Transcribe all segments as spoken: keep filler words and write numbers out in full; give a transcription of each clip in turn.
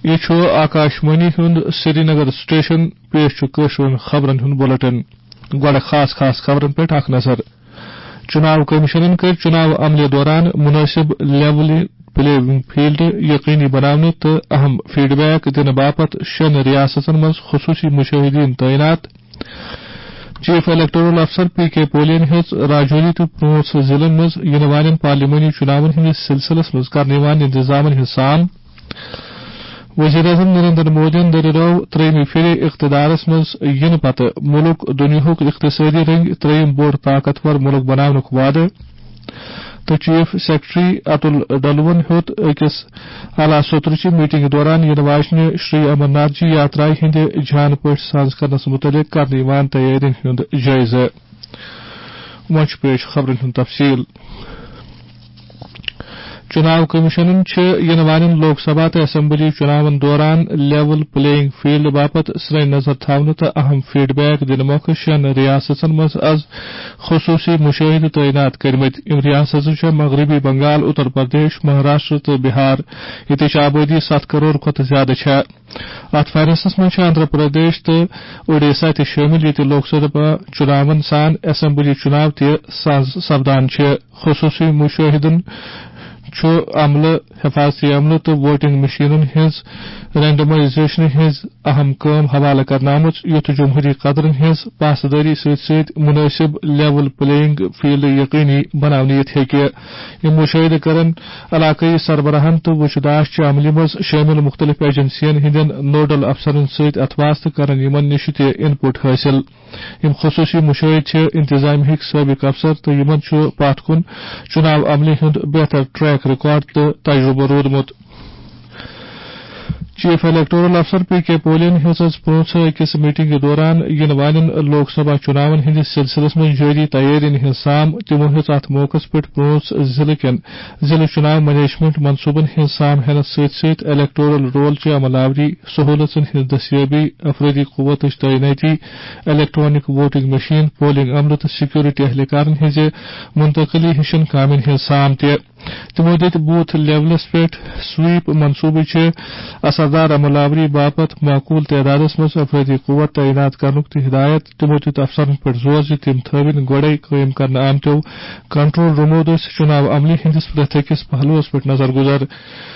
یہِ چھُ آکاش وانی ہُنٛد سرینگر سٹیشن۔ پیش چھُ کٲشرٮ۪ن خبرن ہُنٛد بُلٹن۔ گۄڈٕ خاص خاص خبرن پٮ۪ٹھ اکھ نظر۔ چُناو کٔمِشنن کٔرۍ چُناو عملہِ دوران مُنٲسِب لیول پلینگ فیلڈ یقینی بناونہٕ تہٕ اہم فیڈ بیک دِنہٕ باپتھ شٮ۪ن ریاستن منٛز خصوٗصی مُشٲہِدیٖن تعینات۔ چیف الیکٹورل افسر پی کے پولین ہیٚژ راجوری تہٕ پانٛژھ ضلعن منٛز یِنہٕ والٮ۪ن پارلیمانی چُناون ہٕنٛدِس سلسلس منٛز کرنہٕ یِوان انتظامن ہٕنٛز سام۔ وزیر اعظم نریندر مودیَن دٔریاو ترٛیٚیِمہِ پھِرِ اقتدارس منٛز یِنہٕ پتہٕ مُلک دُنیاہُک اقتصٲدی رٔنٛگۍ ترٛیٚیِم بوٚڑ طاقتور مُلک بناونُک وعدٕ۔ تہٕ چیف سیکرٹری اتُل ڈلوَن ہیوٚت أکِس اعلیٰ سطرٕچہِ میٹنگہِ دوران یِنہٕ واجنہِ شری امرناتھ جی یاترایہِ ہٕنٛدِ جان پٲٹھۍ ساز کرنس مُتعلق کرنہٕ یِوان تیٲرین ہُنٛد جٲیزٕ۔ وۄنۍ چھُ پیش خبرن ہُنٛد تفصیل۔ چُناو کمیشنن چھِ یِنہٕ والٮ۪ن لوک سبھا تہٕ اسمبلی چُناون دوران لیول پلینگ فیلڈ باپتھ سرِ نظر تھاونہٕ تہٕ اہم فیڈ بیک دِنہٕ مۄکھٕ شٮ۪ن ریاستن منٛز از خصوٗصی مُشٲہِدٕ تعینات کٔرمٕتۍ۔ یِم ریاستہٕ چھےٚ مغربی بنگال، اتر پردیش، مہاراشٹر تہٕ بہار، ییٚتِچ آبٲدی ستھ کرور کھۄتہٕ زیادٕ چھےٚ۔ اتھ فہرستس منٛز چھِ آندھرا پردیش تہٕ اوڈیشہ تہِ شٲمِل، ییٚتہِ لوک سبھا چُناون سان اسمبلی چُناو تہِ ساز سپدان چھِ۔ خصوٗصی مُشٲہِدن چھُ عملہٕ، حفاظتی عملہٕ تہٕ ووٹنگ مشینن ہٕنٛز رینڈمائزیشنہِ ہٕنٛز اہم کٲم حوالہٕ کرنہٕ آمٕژ، یُتھ جمہوری قدرن ہٕنٛز پاسدٲری سۭتۍ سۭتۍ مُنٲسِب لیول پلینگ فیلڈ یقینی بناونہٕ یِتھ ہیٚکہِ۔ یِم مُشٲہِدٕ کرن علاقٲیی سربراہن تہٕ وُچھ داش چہِ عملہِ منٛز شٲمِل مُختٔلِف ایجنسین ہٕنٛدٮ۪ن نوڈل افسرن سۭتۍ اتھواس تہٕ کرن یِمن نِش تہِ ان پٹ حٲصِل۔ یِم خصوٗصی مُشٲہِدٕ چھِ انتظامیہ ہٕکۍ سٲبِق افسر تہٕ یِمن چھُ پتھ کُن چُناو عملہِ ہُنٛد بہتر ٹریک ریکارڈ تہٕ تجرُبہٕ روٗدمُت۔ چیف الیکٹورل افسر پی کے پولین ہیٚژ از پانٛژھ أکِس میٹنگہِ دوران یِنہٕ والٮ۪ن لوک سبھا چُناون ہٕنٛدِس سلسلس منٛز جٲری تیٲرین ہٕنٛز سام۔ تِمو ہیٚژ اتھ موقعس پٮ۪ٹھ پانٛژھ ضلعہٕ کٮ۪ن ضلعہٕ چُناو مینجمنٹ منصوٗبن ہٕنٛز سام ہینس سۭتۍ سۭتۍ الیکٹورل رول چہِ عمل آوری، سہوٗلژن ہٕنٛز دستیٲبی، افرٲدی قوتٕچ تعینٲتی، الیکٹرانک ووٹنگ مشین، پولنگ عملہٕ تہٕ سیکورٹی اہلکارن ہٕنٛزِ منتقلی ہِشن کامٮ۪ن ہٕنٛز سام تہِ۔ تِمو دِتۍ بوتھ لیولس پٮ۪ٹھ سویپ منصوٗبہٕ چہِ اثردار عمل آوری باپتھ معقول تعدادس منٛز افرٲدی قوت تعینات کرنُک تہِ ہدایت۔ تِمو دیُت افسرن پٮ۪ٹھ زور زِ تِم تھٲوِن گۄڈَے قٲیِم کرنہٕ آمتیو کنٹرول رومو دٔسۍ چُناو عملہِ ہٕنٛدِس پرٛٮ۪تھ أکِس پہلوَس پٮ۪ٹھ نظر گُزر۔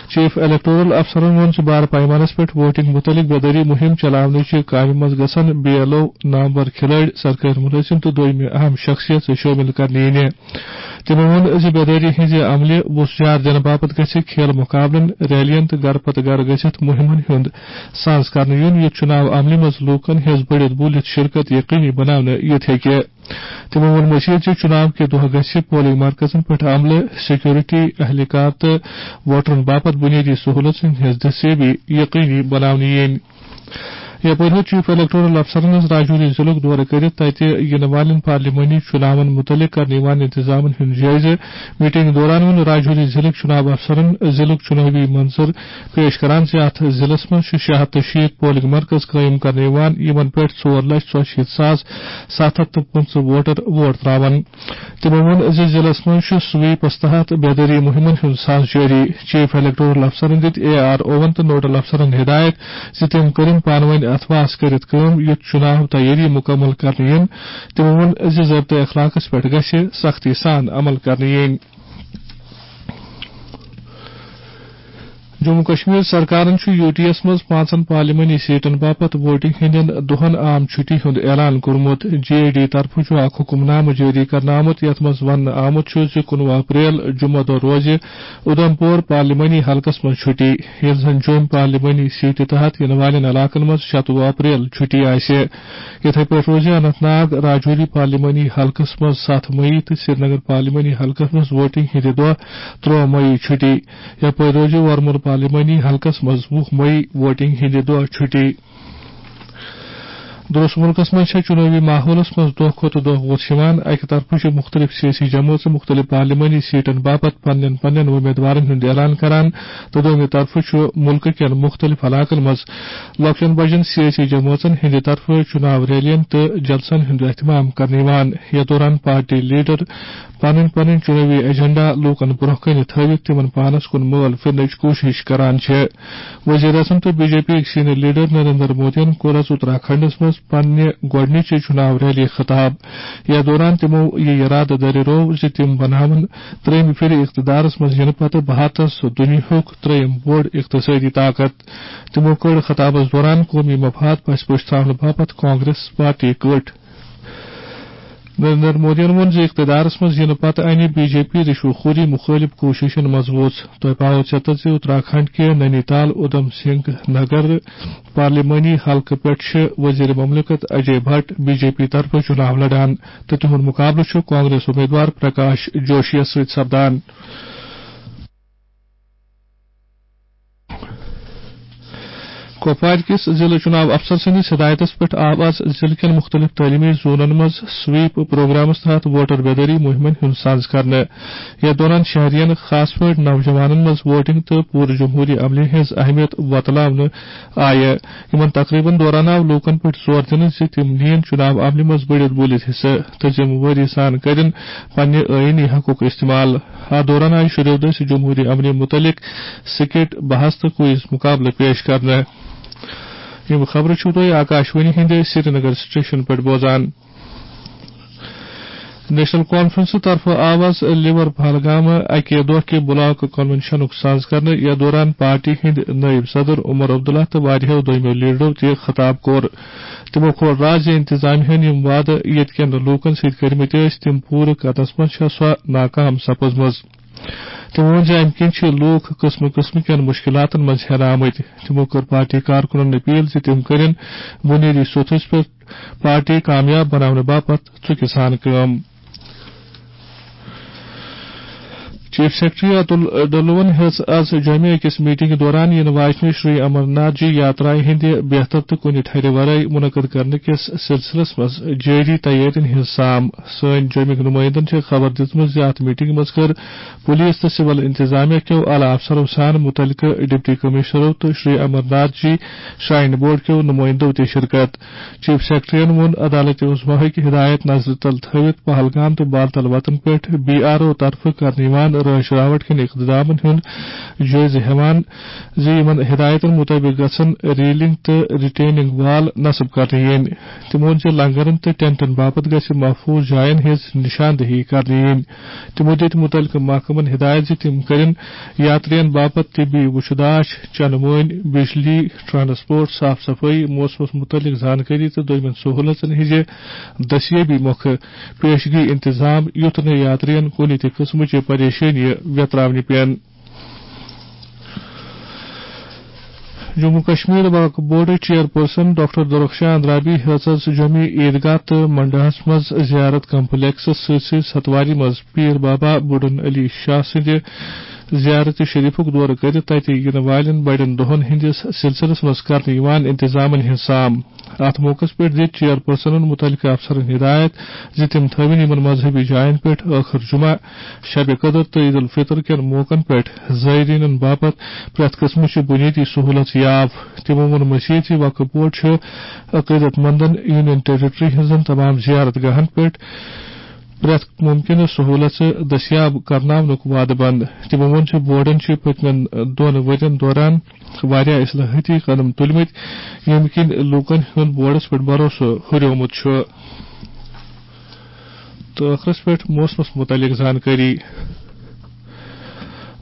چیف الیکٹورل افسرن ووٚن زِ بار پیمانس پٮ۪ٹھ ووٹنگ مُتعلق بیدٲری مُہِم چلاونٕچہِ کامہِ منٛز گژھن بی ایل او، نامور کھلٲڑۍ، سرکٲرۍ مُلٲزِم تہٕ دوٚیمہِ اہم شخصیت شٲمِل کرنہٕ یِنہِ۔ تِمو ووٚن زِ بیدٲری ہٕنٛزِ عملہِ وُژھ جار دِنہٕ باپتھ گژھِ کھیل مُقابلن، ریلین تہٕ گرٕ پتہٕ گرٕ گٔژھِتھ مُہِمن ہُنٛد ساز کرنہٕ یُن، یُتھ چُناو عملہِ منٛز لوٗکن ہٕنٛز بٔڑِتھ بوٗلِتھ شرکت یقینی بناونہٕ یِتھ ہیٚکہِ۔ تِمو ووٚن مٔزیٖد زِ چُناو کہِ دۄہ گژھِ پولنگ مرکزن پٮ۪ٹھ عملہٕ، سیکورٹی اہلکار تہٕ ووٹرن باپتھ بُنیٲدی سہوٗلژن ہٕنٛز دستیٲبی یقینی بناونہٕ یِنۍ۔ یپٲرۍ ہیوٚت چیف الیکٹورل افسرن ہٕنٛز راجوری ضلعُک دورٕ کٔرِتھ تتہِ یِنہٕ والٮ۪ن پارلیمانی چُناون مُتعلق کرنہٕ یِوان انتظامن ہُنٛد جٲیزٕ۔ میٹنگ دوران ووٚن راجوری ضلعٕکۍ چُناو افسرن ضلعُک چُنٲوی منظر پیش کران زِ اتھ ضلعس منٛز چھِ شےٚ ہتھ تہٕ شیٖتھ پولنگ مرکز قٲیِم کرنہٕ یِوان، یِمن پٮ۪ٹھ ژور لچھ ژۄیہِ شیٖتھ ساس ستھ ہتھ تہٕ پٕنٛژٕہ ووٹر ووٹ تراوان۔ تِمو ووٚن زِ ضلعس منٛز چھُ سویپس تحت بیدٲری مُہِمن ہُنٛد ساز جٲری۔ چیف الیکٹورل افسرن دِتۍ اے آر اوون تہٕ نوڈل افسرن ہدایت زِ تِم کٔرِن پانہٕ وٲنۍ اتھواس کٔرِتھ کٲم، یُتھ چُناو تیٲری مُکمل کرنہٕ یِن۔ تِمو ووٚن زِ ضٲبطہٕ اخلاقس پٮ۪ٹھ گژھِ سختی سان عمل کرنہٕ یِنۍ۔ جموں کشمیر سرکارن چھُ یوٗ ٹی یَس منٛز پانٛژن پارلیمانی سیٹن باپتھ ووٹنگ ہٕنٛدٮ۪ن دۄہن عام چھُٹی ہُنٛد اعلان کوٚرمُت۔ جے اے ڈی طرفہٕ چھُ اکھ حکم نامہٕ جٲری کرنہٕ آمُت، یتھ منٛز وننہٕ آمُت چھُ زِ کُنوُہ اپریل جمعہ دۄہ روزِ اُدھمپور پارلیمانی حلقس منٛز چھُٹی، ییٚلہِ زن جوٚم پارلیمانی سیٹہِ تحت یِنہٕ والٮ۪ن علاقن منٛز شَتوُہ اپریل چھُٹی آسہِ۔ یِتھے پٲٹھۍ روزِ اننت ناگ راجوری پارلیمانی حلقس منٛز ستھ مئی تہٕ سرینگر پارلیمانی حلقس منٛز ووٹنگ ہٕنٛدِ دۄہ ترٛوہ مئی چھُٹی۔ یپٲرۍ روزِ ورمُل پارلیمانی حلقس منٛز وُہ مئی ووٹنگ ہٕنٛدِ دۄہ چھُٹی۔ درست مُلکَس منٛز چھےٚ چُنٲوی ماحولَس منٛز دۄہ کھۄتہٕ دۄہ وُژھ یِوان۔ اَکہِ طرفہٕ چھِ مُختٔلِف سیٲسی جمٲژٕ مُختٔلِف پارلیمانی سیٹَن باپتھ پننٮ۪ن پننٮ۪ن وۄمیدوارَن ہُنٛد اعلان کران تہٕ دوٚیمہِ طرفہٕ چھُ مُلکہٕ کٮ۪ن مُختٔلِف علاقَن منٛز لۄکٹٮ۪ن بجن سیٲسی جمٲژن ہٕنٛدِ طرفہٕ چُناو ریلیَن تہٕ جلسن ہُنٛد اہتمام کرنہٕ یِوان۔ یَتھ دوران پارٹی لیڈر پنٕنۍ پنٕنۍ چُنٲوی ایجنڈا لوٗکَن برٛونٛہہ کَنہِ تھٲوِتھ تِمَن پانَس کُن مٲل پھِرنٕچ کوٗشِش کران چھِ۔ وزیر اعظم تہٕ بی جے پی یٕکۍ سینئر لیڈر نریندر مودیَن کوٚر آز اتراکھنڈس منٛز پننہِ گۄڈٕنِچہِ چُناو ریلی خطاب۔ یَتھ دوران تِمو یہِ یرادٕ دٲرِروو زِ تِم بناون ترٛیٚیِمہِ پھِرِ اقتدارس منٛز یِنہٕ پتہٕ بھارتس دُنیاہُک ترٛیٚیِم بوٚڑ اقتصٲدی طاقت۔ تِمو کٔڑ خطابس دوران قومی مفاد پس پٲٹھۍ تھاونہٕ باپتھ کانگریس پارٹی کٔٹ۔ نریندر مودیَن ووٚن زِ اقتدارس منٛز یِنہٕ پتہٕ اَنہِ بی جے پی رشوٕ خوری مُخٲلِف کوٗششن منٛز وُژھ۔ تۄہہِ پاوو ژٮ۪تس زِ اتراکھنڈ کہِ نینی تال اُدھم سنگھ نگر پارلیمانی حلقہٕ پٮ۪ٹھ چھِ وزیر مملکت اجے بھٹ بی جے پی طرفہٕ چُناو لڑان تہٕ تِہُنٛد مُقابلہٕ چھُ کانگریس امیدوار پرکاش جوشیَس سۭتۍ سپدان۔ کۄپوارِ کِس ضلع چُناو افسر سٕنٛدِس ہدایتس پٮ۪ٹھ آو آز ضلع کٮ۪ن مُختٔلِف تعلیٖمی زونن منٛز سویپ پروگرامس تحت ووٹر بیدٲری مُہِمن ہُنٛد سنز کرنہٕ۔ یَتھ دوران شہرین، خاص پٲٹھۍ نوجوانن منٛز ووٹنگ تہٕ پوٗرٕ جمہوٗری عملہِ ہٕنٛز اہمیت وۄتلاونہٕ آیہِ۔ یِمن تقریٖبن دوران آو لوٗکن پٮ۪ٹھ زور دِنہٕ زِ تِم نِیِن چُناو عملہِ منٛز بٔڑِتھ بٔلِتھ حصہٕ تہٕ ذِمہٕ وٲری سان کٔرِن پننہِ ٲیٖنی حقوٗق استعمال۔ اَتھ دوران آیہِ شُرٮ۪و دٔسۍ جمہوٗری عملہِ مُتعلق سکٹ، بحث تہٕ کوئز مُقابلہٕ پیش کرنہٕ۔ یِم خبرٕ چھِو تُہۍ آکاشوانی ہٕنٛدِ سرینگر سٹیشن پٮ۪ٹھ بوزان۔ نیشنل کانفرنسہٕ طرفہٕ آو آز لیور پہلگام اَکہِ دۄہ کہِ بلاک کنونشنُک ساز کرنہٕ۔ یَتھ دوران پارٹی ہٕنٛدۍ نٲیِب صدر عمر عبداللہ تہٕ واریاہو دوٚیمٮ۪و لیڈرو تہِ خطاب کوٚر۔ تِمو کھول راز زِ انتظامیہ ہن یِم وعدٕ ییٚتہِ کٮ۪ن لوٗکن سۭتۍ کٔرمٕتۍ ٲسۍ، تِم پوٗرٕ کرنس منٛز چھےٚ سۄ ناکام سپٕزمٕژ۔ تِمو ووٚن زِ اَمہِ کِنۍ چھِ لوٗکھ قٕسمہٕ قٕسمہٕ کٮ۪ن مُشکِلاتَن منٛز ہٮ۪نہٕ آمٕتۍ۔ تِمو کٔر پارٹی کارکُنَن اپیل زِ تِم کٔرِن بُنیٲدی سوٚتھَس پٮ۪ٹھ پارٹی کامیاب بناونہٕ باپتھ ژُکہِ سان کٲم۔ چیف سیکرٹری اتُل ڈلوَن ہیٚژ آز جوٚمہِ أکِس میٹنگ دوران یِنہٕ واجنہِ شری امرناتھ جی یاترایہِ ہٕنٛدِ بہتر تہٕ کُنہِ ٹھرِ ورٲے منعقد کرنہٕ کِس سلسلس منٛز جٲری تیٲرین ہٕنٛز سام۔ سٲنۍ جوٚمِکۍ نُمٲیندن چھےٚ خبر دِژمٕژ زِ اتھ میٹنگہِ منٛز کٔر پُلیٖس تہٕ سِول اِنتِظامیہ کیو اعلیٰ افسرو سان مُتعلقہٕ ڈپٹی کمشنرو تہٕ شری امرناتھ جی شراین بورڈ کیو نُمٲیندو تہِ شرکت۔ چیف سیکرٹریَن ووٚن، عدالت عظمیٰ ہٕکۍ ہدایت نظرِ تل تھٲوِتھ پہلگام تہٕ بالتل وطن پٮ۪ٹھ بی آر او طرفہٕ کرنہٕ یِوان رٲچھ راوٹ کٮ۪ن اقدامن ہُنٛد جٲیزٕ ہٮ۪وان زِ یِمن ہدایتن مُطٲبِق گژھن ریلنگ تہٕ ریٹیننگ وال نصب کرنہٕ یِنۍ۔ تِمو ووٚن زِ لنگرن تہٕ ٹینٹن باپتھ گژھِ محفوظ جاین ہٕنٛز نشاندہی کرنہٕ یِنۍ۔ تِمو دِتۍ مُتعلقہٕ محکمن ہدایت زِ تِم کرن یاترین باپتھ طبی وُچھداش، چنہٕ وٲنۍ، بجلی، ٹرانسپورٹ، صاف صفائی، موسمس مُتعلق زانکٲری تہٕ دوٚیمٮ۪ن سہوٗلژن ہٕنٛزِ دٔستیٲبی مۄکھٕ پیشگی انتظام، یُتھ نہٕ یاترین کُنہِ تہِ قٕسمٕچہِ پریشٲنی ویتراونہِ پٮ۪ن۔ جموں کشمیر وقف بورڈٕچ چیئرپرسن ڈاکٹر درخشان رابی ہیژ آز جوٚمہِ عیدگاہ تہٕ منڈاہس منٛز زیارت کمپلیکسس سۭتۍ سۭتۍ ستواری منٛز پیٖر بابا بُڈن علی شاہ سٕنٛدِ زیارت شریفُک دورٕ کٔرِتھ تَتہِ یِنہٕ والٮ۪ن بڑٮ۪ن دۄہَن ہٕنٛدِس سلسلس منٛز کرنہٕ یِوان انتظامن ہٕنٛز سام۔ اَتھ موقعس پٮ۪ٹھ دِتۍ چیئرپرسنن مُتعلقہٕ افسرن ہدایت زِ تِم تھٲوِن یِمن مذہبی جاین پٮ۪ٹھ ٲخٕر جمعہ، شب قدر تہٕ عید الفطر کٮ۪ن موقعن پٮ۪ٹھ زائرینن باپتھ پرٛٮ۪تھ قٕسمٕچہِ بُنیٲدی سہوٗلژ یاو۔ تِمو ووٚن مزید زِ وقف بورڈ چھُ عقیدت مندن یونین ٹیریٹری ہٕنٛزن تمام زیارت گاہن پٮ۪ٹھ پرٛٮ۪تھ مُمکِنہٕ سہوٗلژٕ دٔستیاب کرناونُک وعدٕ بنٛد۔ تِمو ووٚن زِ بورڈن چھِ پٔتمٮ۪ن دۄن ؤرین دوران واریاہ اصلاحٲتی قدم تُلمٕتۍ، ییٚمہِ کِنۍ لوٗکن ہُنٛد بورڈس پٮ۪ٹھ بھروسہٕ ہُریومُت چھُ۔ تہٕ ٲخرس پٮ۪ٹھ موسمس مُتعلق زانکٲری۔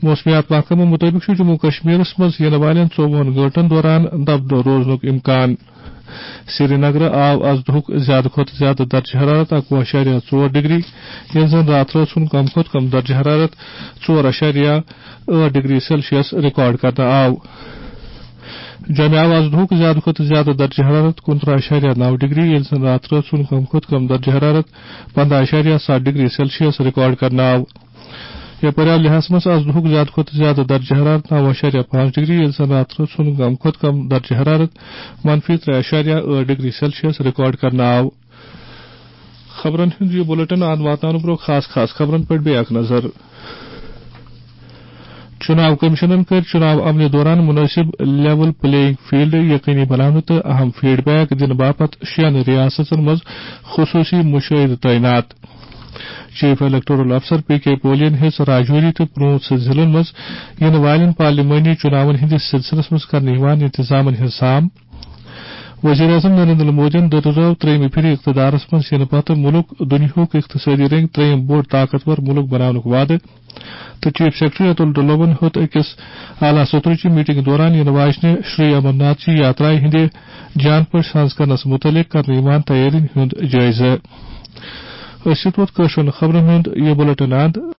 موسمیات محکمہٕ مُطٲبِق چھُ جموں کشمیرس منٛز یِنہٕ والٮ۪ن ژوٚوُہن گٲنٛٹن دوران دبہٕ دۄہ روزنُک امکان۔ سری نگرٕ آو آز دُہُک زیادٕ کھۄتہٕ زیادٕ درجہٕ حرارت اَکوُہ اَشاریہ ژور ڈگری، ییٚلہِ زَن راتھ رٲژ ہُنٛد کم کھۄتہٕ کم درجہٕ حرارت ژور اَشاریہ ٲٹھ ڈگری سیلسیس ریکارڈ کرنہٕ آو۔ جوٚمہِ آو آز دُہُک زیادٕ کھۄتہٕ زیادٕ درجہٕ حرارت کُنترٕہ اَشاریہ نَو ڈگری، ییٚلہِ زَن راتھ رٲژ ہُنٛد کم کھۄتہٕ کم درجہٕ حرارت پنٛداہ اَشاریہ ستھ ڈگری سیلسیس ریکارڈ کرنہٕ آو۔ یپٲرۍ آو لیہس منٛز آز دُہُک زیادٕ کھۄتہٕ زیادٕ درجہ حرارت نو اعشاریہ پانٛژھ ڈگری، ییٚلہِ زن راتہٕ رٲژ ہُنٛد کم کھۄتہٕ کم درجہ حرارت منفی ترٛےٚ اعشاریہ ٲٹھ ڈگری سیلسیس ریکارڈ کرنہٕ آو۔ خبرن ہُنٛد یہِ بُلٹن اَنٛد واتناونہٕ برٛونٛہہ خاص خاص خبرن پٮ۪ٹھ بیٚیہِ اکھ نظر۔ چُناو کٔمِشنن کٔرۍ چُناو عملہِ دوران مُنٲسِب لیول پلینگ فیلڈ یقینی بناونہٕ تہٕ اہم فیڈ بیک دِنہٕ باپتھ شٮ۪ن ریاستن منٛز خصوٗصی مُشٲہِدٕ تعینات۔ چیف الیکٹورل افسر پی کے پولین ہیٚژ راجوری تہٕ پوٗنٛژھ ضلعن منٛز یِنہٕ والٮ۪ن پارلیمانی چُناون ہٕنٛدِس سلسلس منٛز کرنہٕ یِوان انتظامن ہٕنٛز سام۔ وزیر اعظم نریندر مودیَن دِژ ترٛیٚیِمہِ پھِرِ اقتدارس منٛز یِنہٕ پتہٕ مُلک دُنیاہُک اقتصٲدی رنگ ترٛیٚیِم بوٚڑ طاقتور مُلک بناونُک وعدٕ، تہٕ چیف سیکرٹری اتُل ڈُلوَن ہیوٚت أکِس اعلیٰ سطحٕچہِ میٹنگ دوران یِنہٕ واجنہِ شری امرناتھ جی یاترایہِ ہٕنٛدِ جان پٲٹھۍ سانز کرنس مُتعلق کرنہٕ یِوان تیٲرین ہُنٛد جٲیزٕ۔ أسۍ چھِ توت کٲشرٮ۪ن خبرن ہُنٛد یہِ بُلٹن اند۔